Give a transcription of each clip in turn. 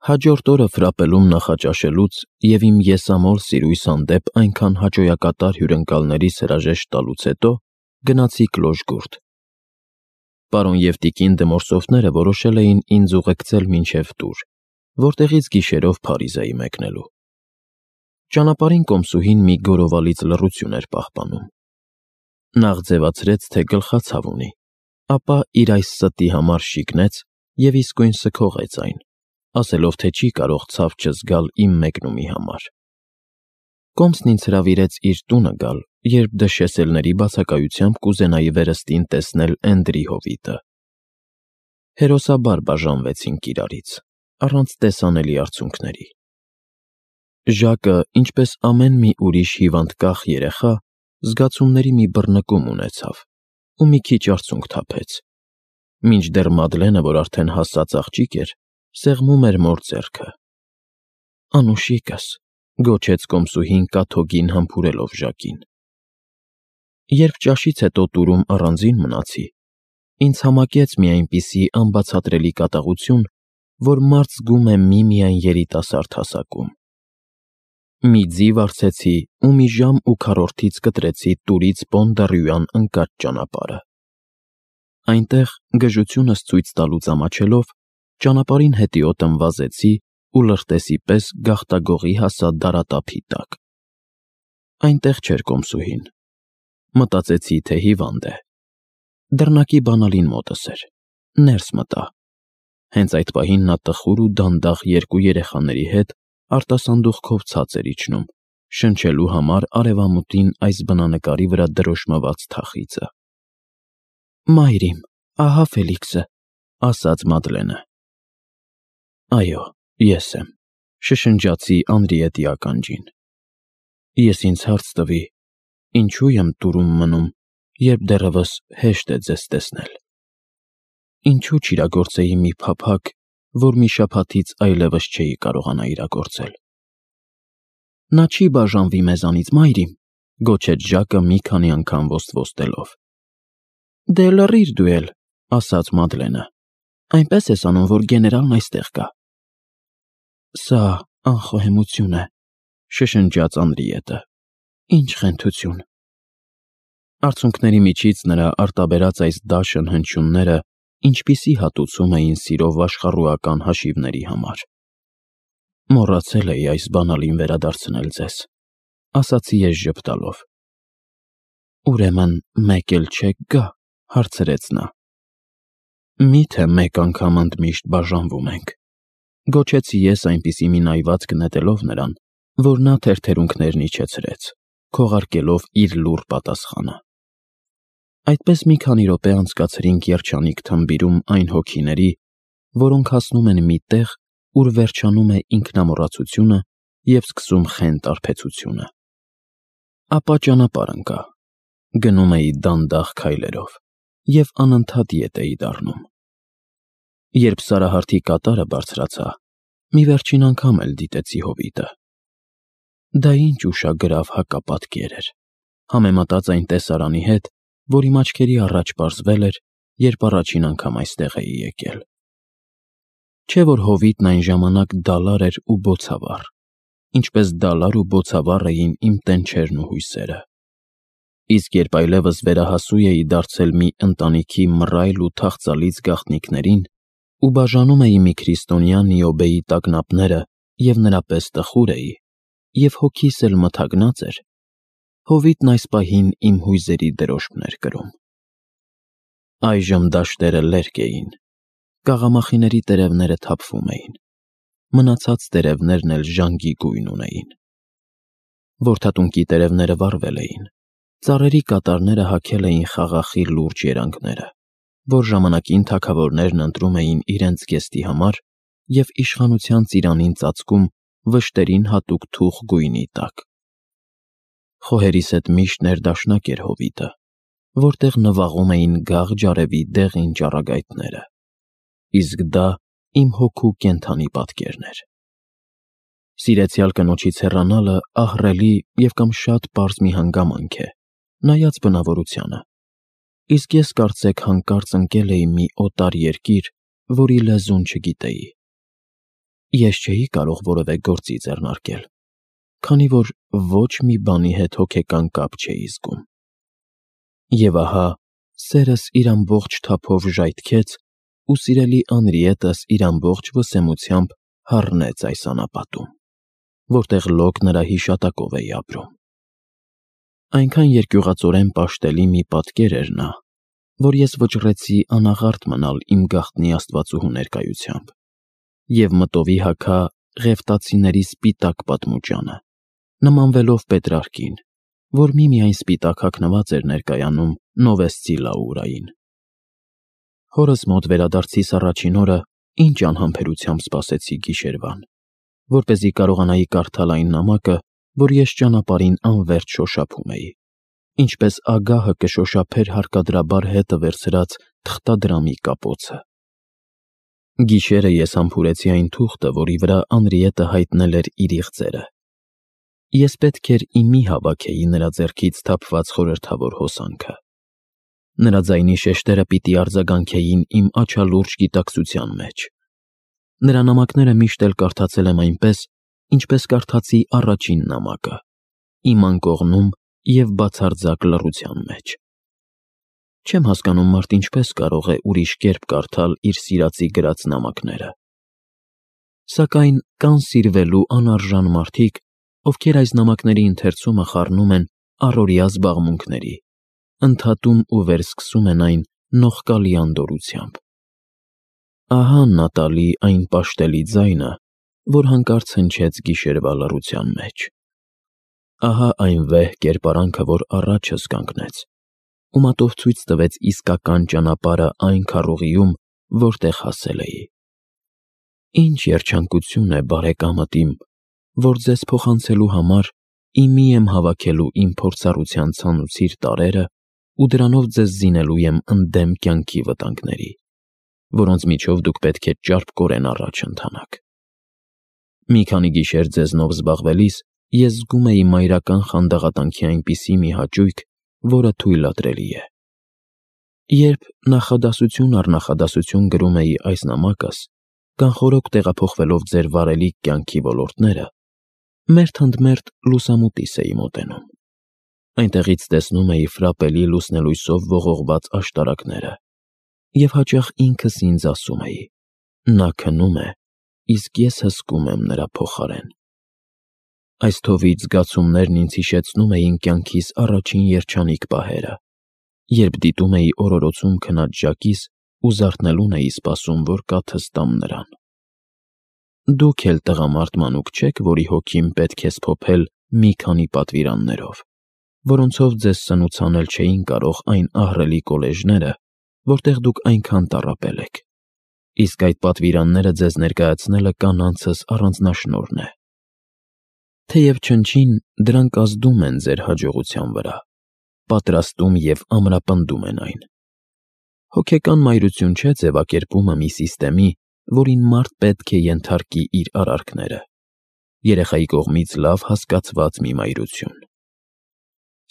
Հաջորդ օրը ֆրապելում նախաճաշելուց և իմ եսամոլ սիրույս հանդեպ այնքան հաճոյակատար հյուրընկալներիս հրաժեշտ տալուց հետո գնացի Կլոժգուրդ։ Պարոն և տիկին Դմորսովները որոշել էին ինձ ուղեկցել մինչև տուր, որտեղից գիշերով Փարիզ էի մեկնելու։ Ճանապարհին կոմսուհին մի գորովալից լռություն էր պահպանում։ Նախ ձևացրեց, թե գլխացավ ունի, ապա իր այս ստի համար շիկնեց և իսկույն սգողեց այն, ասելով, թե չի կարող ցավ չզգալ իմ մեկնումի համար։ Կոմսն ինձ հրավիրեց իր տունը գալ, երբ դշեսելների բացակայությամբ կուզենայի վերստին տեսնել Էնդրի հովիտը։ Հերոսաբար բաժանվեցինք իրարից, առանց տեսանելի արցունքների։ Ժակը, ինչպես ամեն մի ուրիշ հիվանդկախ երեխա, զգացումների մի բռնկում ունեցավ ու մի քիչ արցունք թափեց, մինչդեռ Մադլենը, որ արդեն հասած աղջիկ էր, սեղմում էր մոր ձեռքը։ «Անուշիկս», գոչեց կոմսուհին կաթոկին համբուրելով Ժակին։ Երբ ճաշից հետո տուրում առանձին մնացի, ինձ համակեց մի այնպիսի անբացատրելի կատաղություն, որ մարդ զգում է միմիայն երիտասարդ հասակում։ Մի ձի վարձեցի ու մի ժամ ու քառորդից կտրեցի տուրից Պոնդարյուան ընկած ճանապարհը։ Այնտեղ, գժությունս ցույց տալուց ամաչելով, ճանապարհին հետիոտն վազեցի ու լրտեսի պես գաղտագողի հասա դարատափի տակ։ Այնտեղ չէր կոմսուհին։ Մտածեցի, թե հիվանդ է։ Դռնակի բանալին մոտս էր, ներս մտա։ Հենց այդ պահին նա տխուր ու դանդաղ երկու երեխաների հետ արտասանդուղքով ցած էր իջնում, շնչելու համար արևամուտին այս բնանկարի վրա դրոշմված թախիծը։ «Մայրիմ, ահա Ֆելիքսը», ասաց Մադլենը։ «Այո, ես եմ», շշնջացի Անրիետի ականջին։ «Ես ինձ հարց տվի, ինչու եմ տուրում մնում, երբ դեռևս հեշտ է ձեզ տեսնել։ Ինչու չիրագործեի մի փափագ, որ մի շաբաթից այլևս չէի կարողանա իրագործել»։ «Նա չի բաժանվի մեզանից, մայրիմ», գոչեց Ժակը մի քանի անգամ ոստվոստելով։ «Դե լռիր դու էլ», ասաց Մադլենը։ «Այնպես ես անում, որ գեներալն այստեղ գա»։ «Սա անխոհեմություն է», շշնջաց Անրիետը։ «Ինչ խենթություն»։ Արցունքների միջից նրա արտաբերած այս դաշն հնչյունները ինչպիսի հատուցում էին սիրով աշխառուական հաշիվների համար։ «Մոռացել էի այս բանալին վերադարձնել ձեզ», ասացի ես ժպտալով։ «Ուրեմն մեկ էլ չեք գա», հարցրեց նա։ «Մի՞թե մեկ անգամ ընդմիշտ բաժանվում ենք», գոչեցի ես այնպիսի մի նայվածք նետելով նրան, որ նա թերթերունքներն իջեցրեց, քողարկելով իր լուռ պատասխանը։ Այդպես մի քանի րոպե անցկացրինք երջանիկ թմբիրում այն հոգիների, որոնք հասնում են մի տեղ, ուր վերջանում է ինքնամոռացությունը և սկսում խենթ արբեցությունը։ Ապա ճանապարհ ընկա։ Գնում էի դանդաղ քայլերով և անընդհատ ետ էի դառնում։ Երբ Սարահարթի կատարը բարձրացա, մի վերջին անգամ էլ դիտեցի հովիտը։ Դա ինչ ուշագրավ հակապատկեր էր, համեմատած այն տեսարանի հետ, որ իմ աչքերի առաջ պարզվել էր, երբ առաջին անգամ այստեղ էի եկել։ Չէ՞ որ հովիտն այն ժամանակ դալար էր ու բոցավառ, ինչպես դալար ու բոցավառ էին իմ տենչերն ու հույսերը։ Իսկ երբ այլևս վերահասու էի դարձել մի ընտանիքի մռայլ ու թախծալից գաղտնիքներին ու բաժանում էի մի քրիստոնյա Նիոբեի տագնապները և նրա պես տխուր էի, և հոգիս էլ մթագնած էր, հովիտն այս պահին իմ հույզերի դրոշմն էր կրում։ Այժմ դաշտերը լերկ էին, կաղամախիների տերևները թափվում էին, մնացած տերևներն էլ ժանգի գույն ունեին։ Որդատունկի տերևները վառվել էին, ծառերի կատարները հագել էին խաղաղի լուրջ երանգները, որ ժամանակին թագավորներն ընտրում էին իրենց զգեստի համար և իշխանության ծիրանին ծածկում վշտերին հատուկ թուխ գույնի տակ։ Խոհերիս հետ միշտ ներդաշնակ էր հովիտը, որտեղ նվաղում էին գաղ ջարևի դեղին ճառագայթները, իսկ դա իմ հոգու կենդանի պատկերն էր։ Սիրեցյալ կնոջից հեռանալը ահռելի և կամ շատ պարզ մի հանգամանք է, նայած բնավորությանը, իսկ ես կարծեք հանկարծ ընկել էի մի օտար երկիր, որի լեզուն չգիտեի։ Ես չէի կարող որևէ գործի ձեռնարկել, քանի որ ոչ մի բանի հետ հոգեկան կապ չէի զգում։ Եվ ահա սերս իր ամբողջ թափով ժայթքեց, ու սիրելի Անրիետս իր ամբողջ վսեմությամբ հառնեց այս անապատում, որտեղ լոկ նրա հիշատակով էի ապրում։ Այնքան երկյուղածորեն պաշտելի մի պատկեր էր նա, որ ես վճռեցի անաղարտ մնալ իմ գաղտնի աստվածուհու ներկայությամբ և մտովի հագա ղևտացիների սպիտակ պատմուճանը, նմանվելով Պետրարկին, որ միմիայն սպիտակ հագնված էր ներկայանում Նովեսցի Լաուրային։ Հորս մոտ վերադարձիս առաջին օրը ինչ անհամբերությամբ սպասեցի գիշերվան, որպեսզի կարողանայի կարդալ այն նամակը, որ ես ճանապարհին անվերջ շոշափում էի, ինչպես ագահը կշոշափեր հարկադրաբար հետը վերցրած թղթադրամի կապոցը։ Գիշերը ես համբուրեցի այն թուղթը, որի վրա Անրիետը հայտնել էր իր իղձերը։ Ես պետք էր իմի հավաքեի նրա ձեռքից թափված խորհրդավոր հոսանքը։ Նրա ձայնի շեշտերը պիտի արձագանքեին իմ աչալուրջ գիտակցության մեջ։ Նրա նամակները միշտ էլ կարդացել եմ այնպես, ինչպես կարդացի առաջին նամակը, իմ անկողնում և բացարձակ լռության մեջ։ Չեմ հասկանում մարդ ինչպես կարող է ուրիշ կերպ կարդալ իր սիրածի գրած նամակները։ Սակայն կան սիրվելու անարժան մարդիկ, ովքեր այս նամակների ընթերցումը խառնում են առօրյա զբաղմունքների, ընդհատում ու վերսկսում են այն նողկալի անդորրությամբ։ Ահա Նատալի այն պաշտելի ձայնը, որ հանկարծ հնչեց գիշերվա լռության մեջ։ Ահա այն վեհ կերպարանքը, որ առաջս կանգնեց ու մատով ցույց տվեց իսկական ճանապարհը այն քառուղիում, որտեղ հասել էի։ Ինչ երջանկություն է, բարեկամդ իմ, որ ձեզ փոխանցելու համար իմի եմ հավաքելու իմ փորձառության ցանուցիր տարրերը ու դրանով ձեզ զինելու եմ ընդդեմ կյանքի վտանգների, որոնց միջով դուք պետք է ճարպկորեն առաջ ընթանաք։ Մի քանի գիշեր ձեզնով զբաղվելիս ես զգում էի մայրական խանդաղատանքի այնպիսի մի հաճույք, որը թույլատրելի է։ Երբ նախադասություն առ նախադասություն գրում էի այս նամակս, կանխորոք տեղափոխվելով ձեր վարելիք կյանքի ոլորտները, մերթ ընդ մերթ լուսամուտիս էի մոտենում։ Այնտեղից տեսնում էի ֆրապելի լուսնելույսով ողողված աշտարակները և հաճախ ինքս ինձ ասում էի. նա քնում է, իսկ ես հսկում եմ նրա փոխարեն։ Այս թովիչ զգացումներն ինձ հիշեցնում էին կյանքիս առաջին երջանիկ պահերը, երբ դիտում էի օրորոցում քնած ժակիս ու զարթնելուն էի սպասում, որ կաթս տամ նրան։ Դուք էլ տղամարդ մանուկ չեք, որի հոգին պետք է սփոփել մի քանի պատվիրաններով, որոնցով ձեզ սնուցանել չէին կարող այն ահռելի կոլեժները, որտեղ դուք այնքան տառապել եք, իսկ այդ պատվիրանները ձեզ ներկայացնելը կանանցս առանձնաշնորհն է։ Թեև չնչին դրանք ազդում են ձեր հաջողության վրա, պատրաստում և ամրապնդում են այն։ Հոգեկան մայրություն չէ ձևակերպումը մի սիստեմի, որին մարդ պետք է ենթարկի իր արարքները, երեխայի կողմից լավ հասկացված մի մայրություն։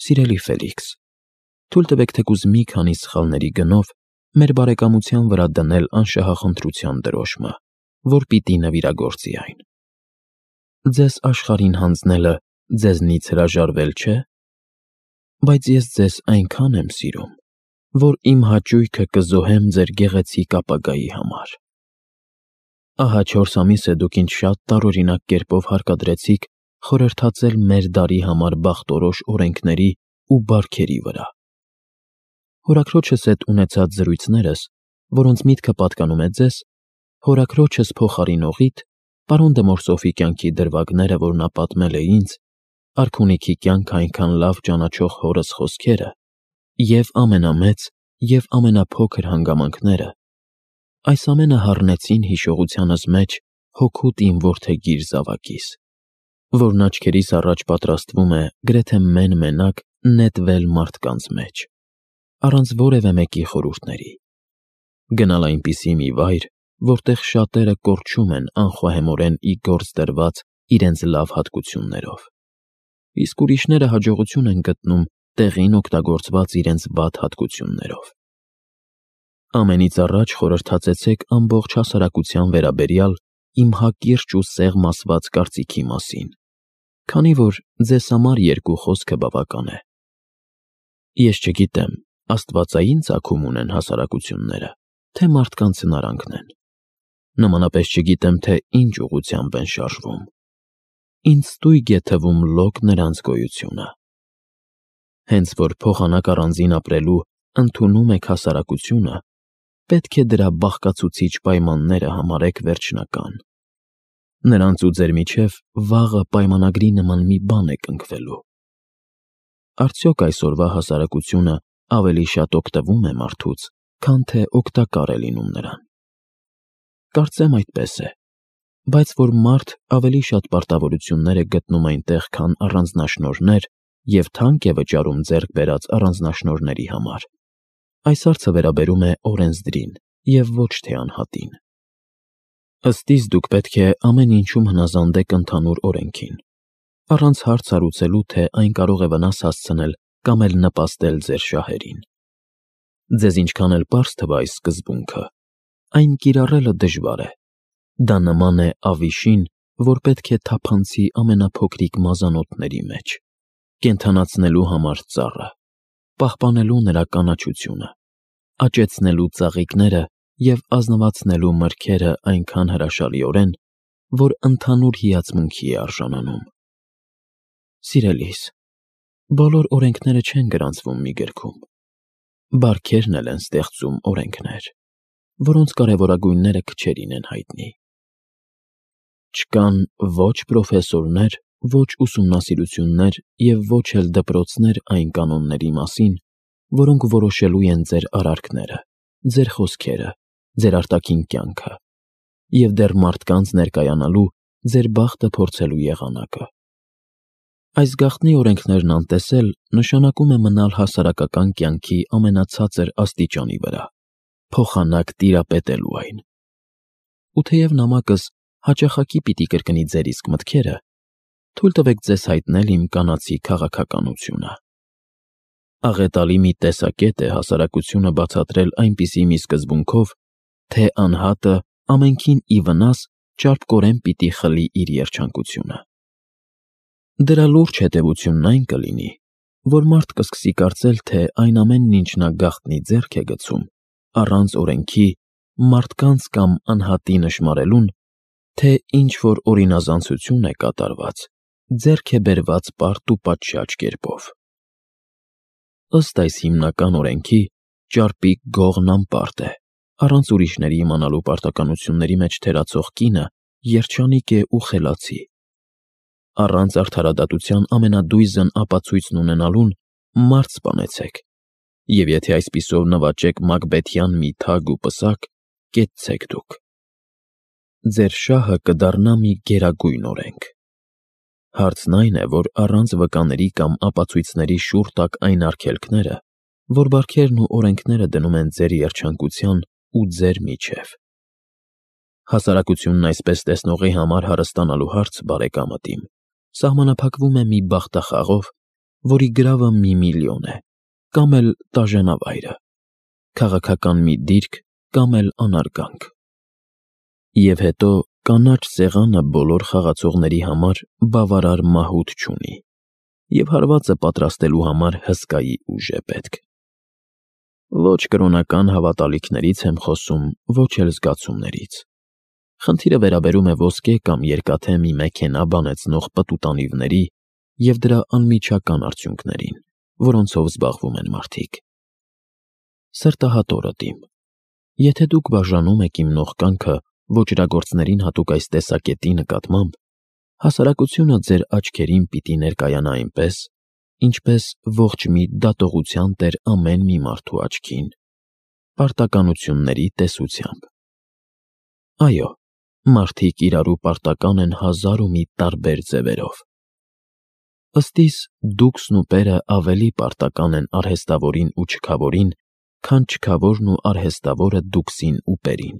Սիրելի Ֆելիքս, թույլ տվեք թեկուզ մի քանի սխալների գնով մեր բարեկամության վրա դնել անշահախնդրության դրոշմը, որ պիտի նվիրագործի այն։ Ձեզ աշխարհին հանձնելը ձեզնից հրաժարվել չէ, բայց ես ձեզ այնքան եմ սիրում, որ իմ հաճույքը կզոհեմ ձեր գեղեցիկ ապագայի համար։ Ահա 4 ամիս է դուք ինձ շատ տարօրինակ կերպով հարկադրեցիք խորհրդածել մեր դարի համար բախտորոշ օրենքների ու բարքերի վրա։ Հորաքրոջս հետ ունեցած զրույցներս, որոնց միտքը պատկանում է ձեզ, հորաքրոջս փոխարինողիդ, պարոն դե Մորսոֆի կյանքի դրվագները, որ նա պատմել է ինձ, արքունիքի կյանքը այնքան լավ ճանաչող հորս խոսքերը և ամենամեծ և ամենափոքր հանգամանքները, այս ամենը հառնեցին հիշողությանս մեջ հօգուտ իմ որդեգիր զավակիս, որն աչքերիս առաջ պատրաստվում է գրեթե մեն-մենակ նետվել մարդկանց մեջ, առանց որևէ մեկի խորհուրդների, գնալ այնպիսի մի վայր, որտեղ շատերը կորչում են անխոհեմորեն ի գործ դրված իրենց լավ հատկություններով, իսկ ուրիշները հաջողություն են գտնում տեղին օգտագործված իրենց վատ հատկություններով։ Ամենից առաջ խորհրդածեցեք ամբողջ հասարակության վերաբերյալ իմ հակիրճ ու սեղմ ասված կարծիքի մասին, քանի որ ձեզ համար երկու խոսքը բավական է։ Ես չգիտեմ, աստվածային ծագում ունեն հասարակությունները, թե մարդկանց հնարանքն են։ Նմանապես չգիտեմ, թե ինչ ուղղությամբ են շարժվում։ Ինձ ստույգ է թվում լոկ նրանց գոյությունը։ Հենց որ փոխանակ առանձին ապրելու ընդունում եք հասարակությունը, պետք է դրա բաղկացուցիչ պայմանները համարեք վերջնական։ Նրանց ու ձեր միջև վաղը պայմանագրի նման մի բան է կնքվելու։ Արդյոք այսօրվա հասարակությունը ավելի շատ օգտվում է մարդուց, քան թե օգտակար է լինում նրան։ Կարծեմ այդպես է, բայց որ մարդ ավելի շատ պարտավորություններ է գտնում այնտեղ, քան առանձնաշնորհներ և թանկ է վճարում ձեռք բերած առանձնաշնորհների համար, այս հարցը վերաբերում է օրենսդրին և ոչ թե անհատին։ Ըստ իս դուք պետք է ամեն ինչում հնազանդեք ընդհանուր օրենքին, առանց հարց հարուցելու, թե այն կարող է վնաս հասցնել կամ էլ նպաստել ձեր շահերին։ Ձեզ ինչքան էլ պարզ թվա այս սկզբունքը, այն կիրառելը դժվար է։ Դա նման է ավիշին, որ պետք է թափանցի ամենափոքրիկ մազանոթների մեջ, կենդանացնելու համար ծառը, պահպանելու նրա կանաչությունը, աճեցնելու ծաղիկները և ազնվացնելու մրգերը այնքան հրաշալիորեն, որ ընդհանուր հիացմունքի է արժանանում։ Սիրելիս, բոլոր օրենքները չեն գրանցվում մի գրքում։ Բարքերն էլ են ստեղծում օրենքներ, որոնց կարևորագույնները քչերին են հայտնի։ Չկան ոչ պրոֆեսորներ, ոչ ուսումնասիրություններ և ոչ էլ դպրոցներ այն կանոնների մասին, որոնք որոշելու են ձեր արարքները, ձեր խոսքերը, ձեր արտաքին կյանքը և դեռ մարդկանց ներկայանալու, ձեր բախտը փորձելու եղանակը։ Այս գաղտնի օրենքներն անտեսել նշանակում է մնալ հասարակական կյանքի ամենացածր աստիճանի վրա, փոխանակ տիրապետելու այն։ Ու թեև նամակս հաճախակի պիտի կրկնի ձեր իսկ մտքերը, թույլ տվեք ձեզ հայտնել իմ կանացի քաղաքականությունը։ Աղետալի մի տեսակետ է հասարակությունը բացատրել այնպիսի մի սկզբունքով, թե անհատը ամենքին ի վնաս ճարպկորեն պիտի խլի իր երջանկությունը։ Դրա լուրջ հետևությունն այն կլինի, որ մարդ կսկսի կարծել, թե այն ամենն, ինչ նա գաղտնի ձեռք է գցում, առանց օրենքի, մարդկանց կամ անհատի նշմարելուն, թե ինչ-որ օրինազանցություն է կատարված, ձեռք է բերված պարտ ու պատշաճ կերպով։ Ըստ այս հիմնական օրենքի, ճարպիկ գողն անպարտ է, առանց ուրիշների իմանալու պարտականությունների մեջ թերացող կինը երջանիկ է ու խելացի։ Առանց արդարադատության ամենադույզն ապացույցն ունենալուն մարդ սպանեցեք, և եթե այսպիսով նվաճեք մակբեթյան մի թագ ու պսակ, կեցցեք դուք։ Ձեր շահը կդառնա մի գերագույն օրենք։ Հարցն այն է, որ առանց վկաների կամ ապացույցների շուռ տաք այն արգելքները, որ բարքերն ու օրենքները դնում են ձեր երջանկության ու ձեր միջև։ Հասարակությունն այսպես տեսնողի համար հարստանալու հարց, բարեկամդ իմ, սահմանափակվում է մի բախտախաղով, որի գրավը 1 միլիոն է, կամ էլ տաժանավայրը, քաղաքական մի դիրք կամ էլ անարգանք։ Եվ հետո կանաչ սեղանը բոլոր խաղացողների համար բավարար մահուտ չունի, և հարվածը պատրաստելու համար հսկայի ուժ է պետք։ Ոչ կրոնական հավատալիքներից եմ խոսում, ոչ էլ զգացումներից։ Խնդիրը վերաբերում է ոսկե կամ երկաթե մի մեքենա բանեցնող պտուտանիվների և դրա անմիջական արդյունքներին, որոնցով զբաղվում են մարդիկ։ Սրտահատորդ իմ, եթե դուք բաժանում եք իմ նողկանքը ոճրագործներին հատուկ այս տեսակետի նկատմամբ, հասարակությունը ձեր աչքերին պիտի ներկայանա այնպես, ինչպես ողջ մի դատողության տեր ամեն մի մարդու աչքին, պարտականությունների տեսությամբ։ Այո, մարդիկ իրարու պարտական են 1001 տարբեր ձևերով։ Ըստ իս դուքսն ու պերը ավելի պարտական են արհեստավորին ու չքավորին, քան չքավորն ու արհեստավորը դուքսին ու պերին։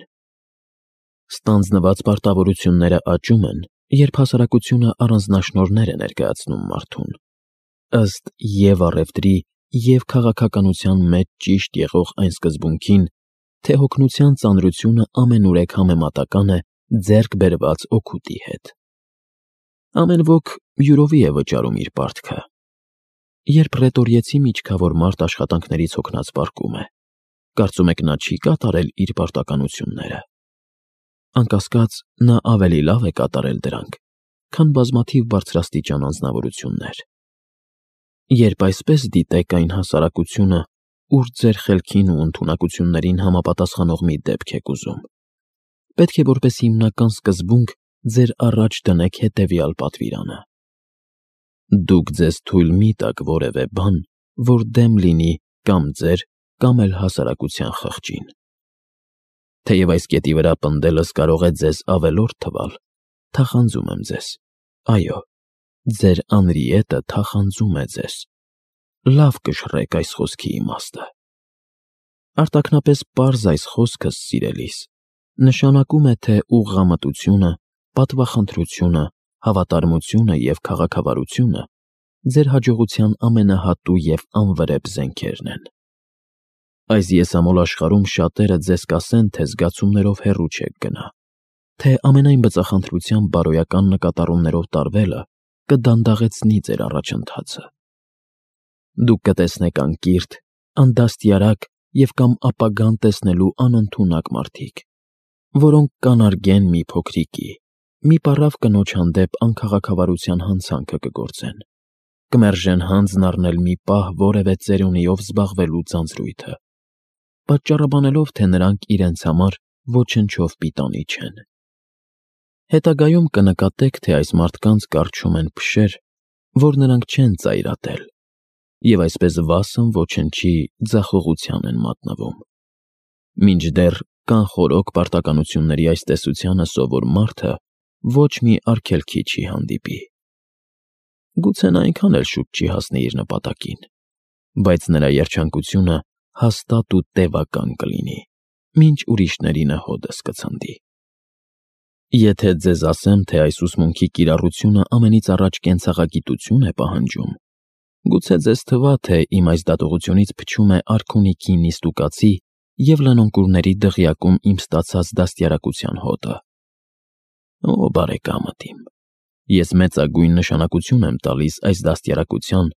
Ստանձնված պարտավորությունները աճում են, երբ հասարակությունը առանձնաշնորհներ է ներկայացնում մարդուն։ Ըստ և առևտրի, և քաղաքականության մեջ ճիշտ եղող այն սկզբունքին, թե հոգնության ծանրությունը ամենուրեք համեմատական է ձեռք բերված օգուտի հետ։ Ամեն ոք յուրովի է վճարում իր պարտքը։ Երբ ռետորիեցի միջքավոր մարդ աշխատանքներից հոգնած պառկում է, կարծում եք նա չի կատարել իր պարտականությունները։ Անկասկած, նա ավելի լավ է կատարել դրանք, քան բազմաթիվ բարձրաստիճան անձնավորություններ։ Երբ այսպես դիտեք այն հասարակությունը, ուր ձեր խելքին ու ընդունակություններին համապատասխանող մի դեպք եք ուզում, պետք է որպես հիմնական սկզբունք ձեր առաջ դնեք հետևյալ պատվիրանը. դուք ձեզ թույլ մի տաք որևէ բան, որ դեմ լինի կամ ձեր, կամ էլ հասարակության խղճին։ Թեև այս կետի վրա պնդելս կարող է ձեզ ավելորդ թվալ, թախանձում եմ ձեզ, այո, ձեր անրիետը թախանձում է ձեզ։ Լավ կշռեք այս խոսքի իմաստը։ Արտաքնապես պարզ այս խոսքս, սիրելիս, նշանակում է, թե ուղղամտությունը, պատվախնդրությունը, հավատարմությունը և քաղաքավարությունը ձեր հաջողության ամենահատու և անվրեպ զենքերն են։ Այս եսամոլ աշխարհում շատերը ձեզ կասեն, թե զգացումներով հեռու չեք գնա, թե ամենայն բծախնդրության բարոյական նկատառումներով տարվելը կդանդաղեցնի ձեր առաջընթացը։ Դուք կտեսնեք անկիրթ, անդաստիարակ և կամ ապագան տեսնելու անընդունակ մարդիկ, որոնք կանարգեն մի փոքրիկի, մի պառավ կնոջ հանդեպ անքաղաքավարության հանցանքը կգործեն, կմերժեն հանձն առնել մի պահ որևէ ծերունիով զբաղվելու ձանձրույթը, պատճառաբանելով, թե նրանք իրենց համար ոչնչով պիտանի չեն։ Հետագայում կնկատեք, թե այս մարդկանց կառչում են փշեր, որ նրանք չեն ծայրատել, և այսպես վասն ոչնչի ձախողության են մատնվում։ Մինչդեռ կանխորոք պարտականությունների այս տեսությանը սովոր մարդը ոչ մի արգելքի չի հանդիպի։ Գուցե նա այնքան էլ շուտ չի հասնի իր նպատակին, բայց նրա երջանկությունը հաստատ ու տևական կլինի, մինչ ուրիշներինը հոդս կցնդի։ Եթե ձեզ ասեմ, թե այս ուսմունքի կիրառությունը ամենից առաջ կենցաղագիտություն է պահանջում, գուցե ձեզ թվա, թե իմ այս դատողությունից փչում է արքունիքի նիստուկացի և լնոնկուրների դղյակում իմ ստացած դաստիարակության հոտը։ Օ, բարեկամդ իմ, ես մեծագույն նշանակություն եմ տալիս այս դաստիարակության,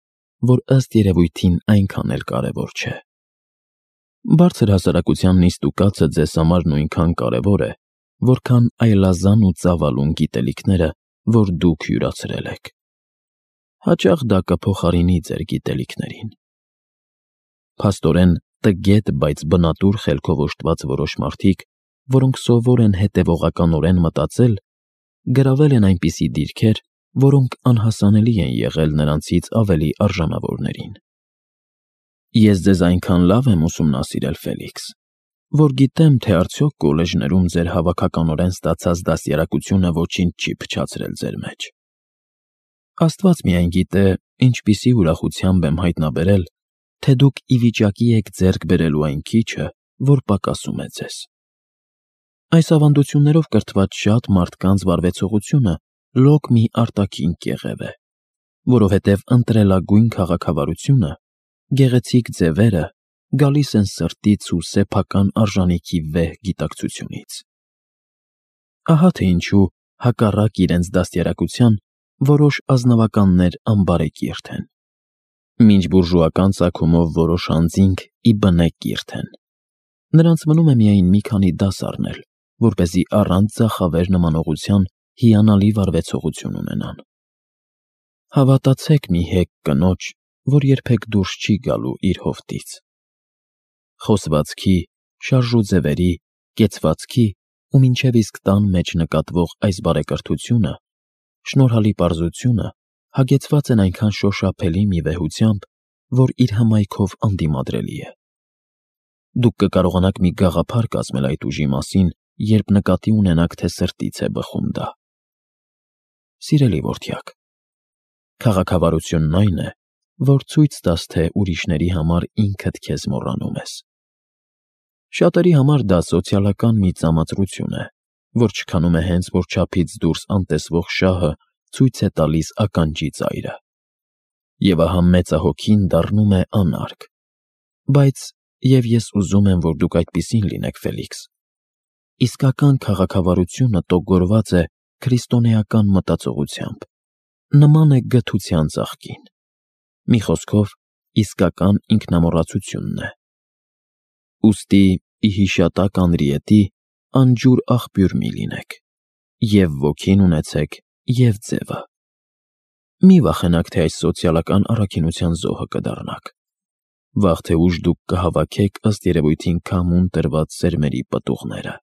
որ ըստ երևույթին այնքան էլ կարևոր չէ։ Բարձր հասարակության նիստուկացը ձեզ համար նույնքան կարևոր է, որքան այլազան ու ծավալուն գիտելիքները, որ դուք յուրացրել եք։ Հաճախ դա կփոխարինի ձեր գիտելիքներին։ Փաստորեն, տգետ, բայց բնատուր խելքով օժտված որոշ մարդիկ, որոնք սովոր են հետևողականորեն մտածել, գրավել են այնպիսի դիրքեր, որոնք անհասանելի են եղել նրանցից ավելի արժանավորներին։ Ես ձեզ այնքան լավ եմ ուսումնասիրել, Ֆելիքս, որ գիտեմ, թե արդյոք կոլեջներում ձեր հավաքականորեն ստացած դաստիարակությունը ոչինչ չի փչացրել ձեր մեջ։ Աստված միայն գիտե, ինչպիսի ուրախությամբ եմ հայտնաբերել, թե դուք ի վիճակի եք ձեռք բերելու այն քիչը, որ պակասում է ձեզ։ Այս ավանդություններով կրթված շատ մարդկանց վարվեցողությունը լոկ մի արտաքին կեղև է, որովհետև ընտրելագույն քաղաքավարությունը, գեղեցիկ ձևերը գալիս են սրտից ու սեփական արժանիքի վեհ գիտակցությունից։ Ահա թե ինչու, հակառակ իրենց դաստիարակության, որոշ ազնվականներ անբարեկիրթ են, մինչ բուրժուական ծագումով որոշ անձինք ի բնե կիրթ են։ Նրանց մնում է միայն մի քանի դաս առնել, որպեսզի առանց ձախավեր նմանողության հիանալի վարվեցողություն ունենան։ Հավատացեք մի հեգ կնոջ, որ երբեք դուրս չի գալու իր հովտից։ Խոսվածքի, շարժուձևերի, կեցվածքի ու մինչև իսկ տան մեջ նկատվող այս բարեկրթությունը, շնորհալի պարզությունը հագեցված են այնքան շոշափելի մի վեհությամբ, որ իր հմայքով անդիմադրելի է։ Դուք կկարողանաք մի գաղափար կազմել այդ ուժի մասին, երբ նկատի ունենաք, թե սրտից է բխում դա։ Սիրելի որդյակ, քաղաքավարությունն այն է, որ ցույց տաս, թե ուրիշների համար ինքդ քեզ մոռանում ես։ Շատերի համար դա սոցիալական մի ծամածրություն է, որ չքանում է հենց, որ չափից դուրս անտեսվող շահը ցույց է տալիս ականջի ծայրը։ Եվ ահա մեծահոգին դառնում է անարգ։ Բայց և ես ուզում եմ, որ դուք այդպիսին լինեք, Ֆելիքս։ Իսկական քաղաքավարությունը տոգորված է քրիստոնեական մտածողությամբ, նման է գթության ծաղկին։ Մի խոսքով, իսկական ինքնամոռացությունն է։ Ուստի ի հիշատակ Անրիետի անջուր աղբյուր մի լինեք, և ոգին ունեցեք, և ձևը։ Մի վախենաք, թե այս սոցիալական առաքինության զոհը կդառնաք։ Վաղ թե ուշ դուք կհավաքեք ըստ երևույթին քամուն տրված սերմերի պտուղները։